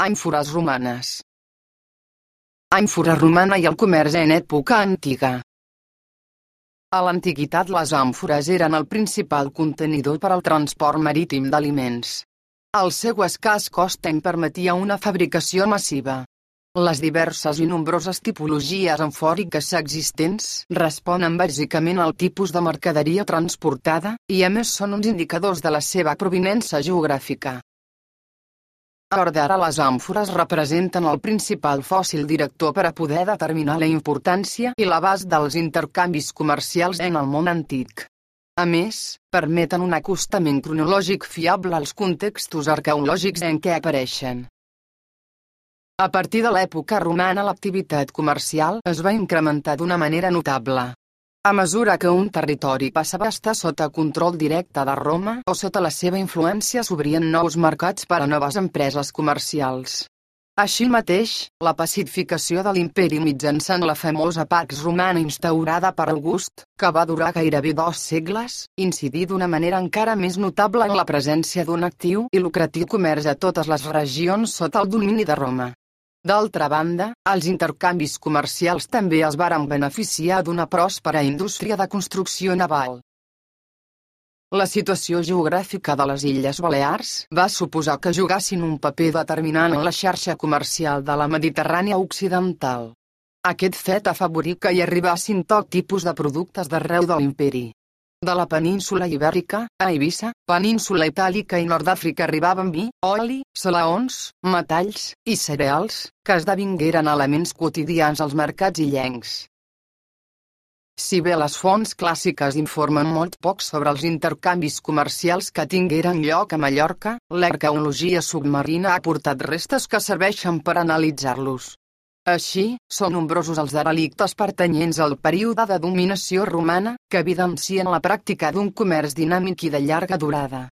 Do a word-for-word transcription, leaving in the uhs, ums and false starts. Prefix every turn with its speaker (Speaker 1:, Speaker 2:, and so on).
Speaker 1: Àmfores romanes. Àmfora romana i el comerç en època antiga. A l'antiguitat les àmfores eren el principal contenidor per al transport marítim d'aliments. El seu escàs cost en permetia una fabricació massiva. Les diverses i nombroses tipologies amfòriques existents responen bàsicament al tipus de mercaderia transportada, i a més són uns indicadors de la seva provinença geogràfica. A hores d'ara les àmfores representen el principal fòssil director per a poder determinar la importància i l'abast dels intercanvis comercials en el món antic. A més, permeten un acostament cronològic fiable als contextos arqueològics en què apareixen. A partir de l'època romana l'activitat comercial es va incrementar d'una manera notable. A mesura que un territori passava a estar sota control directe de Roma o sota la seva influència s'obrien nous mercats per a noves empreses comercials. Així mateix, la pacificació de l'imperi mitjançant la famosa Pax Romana instaurada per August, que va durar gairebé dos segles, incidí d'una manera encara més notable en la presència d'un actiu i lucratiu comerç a totes les regions sota el domini de Roma. D'altra banda, els intercanvis comercials també es varen beneficiar d'una pròspera indústria de construcció naval. La situació geogràfica de les Illes Balears va suposar que jugassin un paper determinant en la xarxa comercial de la Mediterrània occidental. Aquest fet afavorí que hi arribassin tot tipus de productes d'arreu de l'imperi. De la península Ibèrica, a Eivissa, península Itàlica i Nord d'Àfrica arribaven vi, oli, salaons, metalls i cereals, que esdevingueren elements quotidians als mercats illencs. Si bé les fonts clàssiques informen molt poc sobre els intercanvis comercials que tingueren lloc a Mallorca, l'arqueologia submarina ha aportat restes que serveixen per analitzar-los. Així, són nombrosos els derelictes pertanyents al període de dominació romana, que evidencien la pràctica d'un comerç dinàmic i de llarga durada.